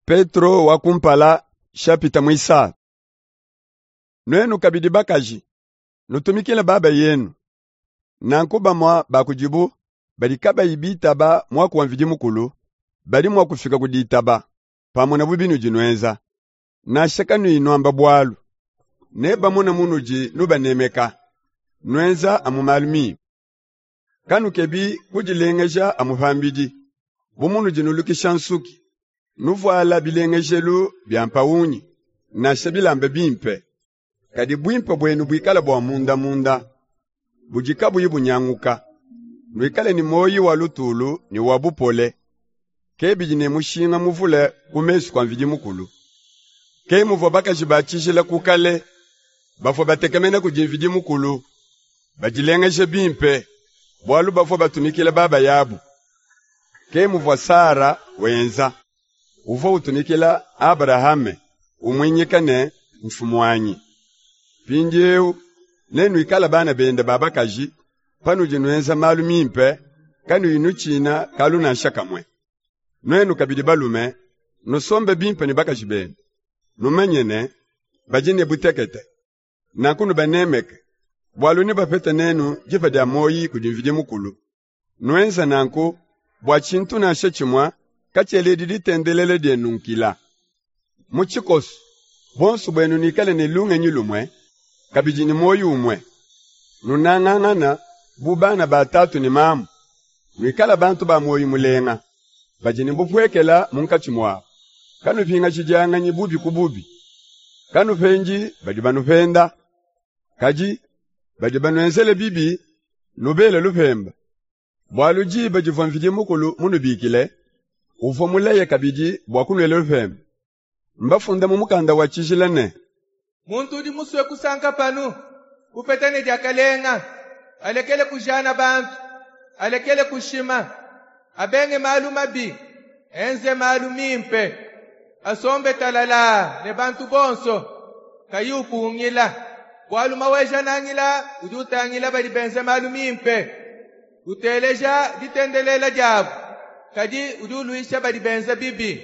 Petro wa kumpala shapita muisatu. Nuenu kabidi bakaji, nutumikile baba yenu. Nanku bamue ba kudibu badi kabayi bitaba muaku wa Mvidi Mukulu, badi mua kufika ku ditaba, pamonabu binudi nuenza. Nansha kanuyi nuamba bualu, nebamone munudi nubanemeka, nuenza amu malu mimpe. Kanukebi kudilengeja amu pambidi, bu munudi nulukisha nsuki, nuvuala bilengejelu bia mpawungi, nansha bilamba bimpe. Kadi buimpe buenu buikale bua mundamunda, budi kabuyi bunyanguka. Nuikale ne muoyi wa lutulu ne wa bupole, ke bidi ne mushinga muvule ku mesu kua Mvidi Mukulu. Ke muvua bakaji ba tshijila ku kale, bavua batekemena kudi Mvidi Mukulu, badilengeje bimpe, bualu bavua batumikila babayabu. Ke muvua Sara wenza, uvua utumikila Abrahame, umuinyika ne, Mfumuanyi. Mpindiewu nenuikale bana bende ba bakaji, panudi nuenza malu mimpe, kanuyi nutshina kalu nansha kamue. Nuenu kabidi balume, nusombe bimpe ne bakaji benu, numanye ne, badi ne butekete. Nanku nubanemeke, bualu nebapete nenu dipa dia muoyi kudi Mvidi Mukulu. Nuenze nanku bua tshintu nansha tshimue katshieledi ditendelela dienu nkila. Mu tshikoso, buonso buenu nuikale ne lungenyi lumue, kabidi ne muoyi umue. Nunangangana bu bana ba tatu ne mamu. Nuikale bantu ba muoyi mulenga, badi ne bupuekela munkatshi muabu. Kanupingajidianganyi bubi ku bubi. Kanupendi badi banupenda. Kadi badi banuenzele bibi, nubele lupemba. Bualu diba divua Mvidi Mukulu munubikile, uvua mulaye kabidi bua kunuela lupemba. Mbafunda mu mukanda wa tshijila ne, Muntu udi musue kusanka panu, kupeta ne diakalenga, alekele kujana bantu, alekele kushima, abenge malu mabi, enze malu mimpe, asombe talalaa ne bantu bonso, kayi upungila. Bualu Maweja-Nangila udi utangila badi benza malu mimpe, uteleja ditendelela diabu, kadi udi uluisha badi benza bibi.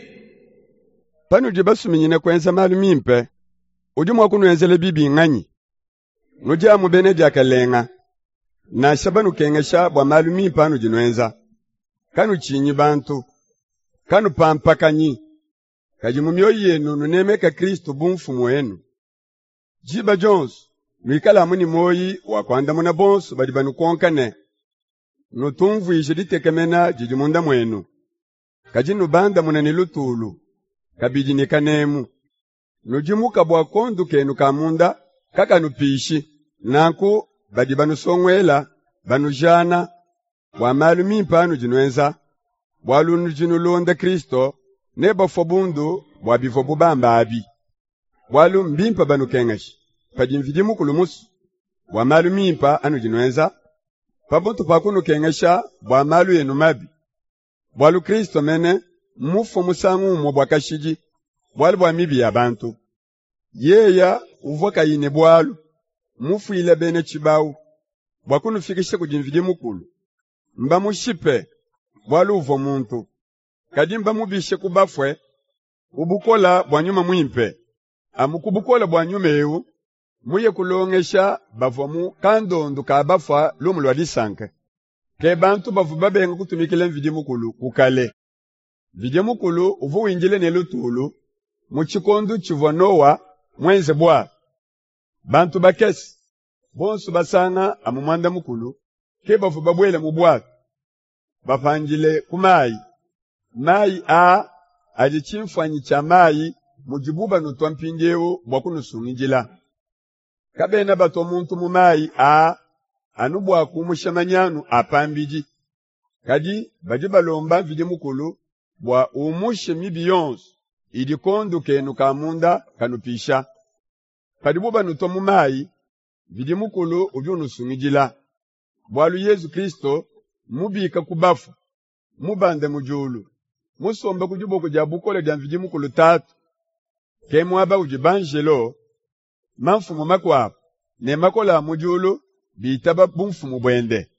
Panudi basuminyine kuenza malu mimpe, udi mua kunuenzela bibi nnganyi? Nudi amu bena diakalenga, nansha banukengesha bua malu mimpe anudi nuenza. Kanutshinyi bantu, kanupampakanyi, kadi mu mioyo yenu nunemeke Kristu bu Mfumu wenu. Diba dionso nuikale amu ne muoyi wa kuandamuna bonso badi banukonka ne, nutumvuije ditekemena didi munda muenu. Kadi nubandamune ne lutulu, kabidi ne kanemu. Nudimuka bua kondu kenu ka munda kakanupishi. Nanku badi banusonguela, banujana bua malu mimpe anudi nuenza, bualu nudi nulonda Kristo, nebafue bundu bua bivuabu bamba abi. Bualu mbimpe banukengeshe padi Mvidi Mukulu musue, bua malu mimpe anudi nuenza, pamutu pa kunukengesha bua malu enu mabi. Bualu Kristo mene mmufue musangu umue bua kashidi, bualu bua mibi ya bantu. Yeya uvua kayi ne bualu, mmufuile bena tshibawu, bua kunufikisha kudi Mvidi Mukulu. Mbamushipe, bualu uvua muntu. Kadi mbamubishe ku bafue ku bukole bua Nyuma Muimpe. Amu ku bukole bua Nyuma ewu, muye kulongesha bavua mu kandondu ka bafua lumu lua disanka. Ke bantu bavua babenga kutumikila Mvidi Mukulu ku kale. Mvidi Mukulu uvua windila ne lutulu mu tshikondu tshivua Nowa muenze buatu. Bantu bakese, bonsu basanga amu muanda mukulu, ke bavua babuele mu buatu, bapandile ku mayi. Mayi aa adi tshimfuanyi tshia mayi mudibu banutua mpindiewu bua kunusungidila. Kabena batua muntu mu mayi aa anu bua kumusha manyanu a pambidi, kadi badi balomba Mvidi Mukulu bua umushe mibi yonsu idi kondu kenu ka munda kanupisha. Padibu banutua mu mayi, Mvidi Mukulu udi unusungidila, bualu Yezu Kristu mmubike ku bafue, mubande mu diulu, musombe ku diboko dia bukole dia Mvidi Mukulu Tatu. Ke muaba udi banjelo, mamfumu makuabu ne makole a mu diulu bitaba bumfumu buende.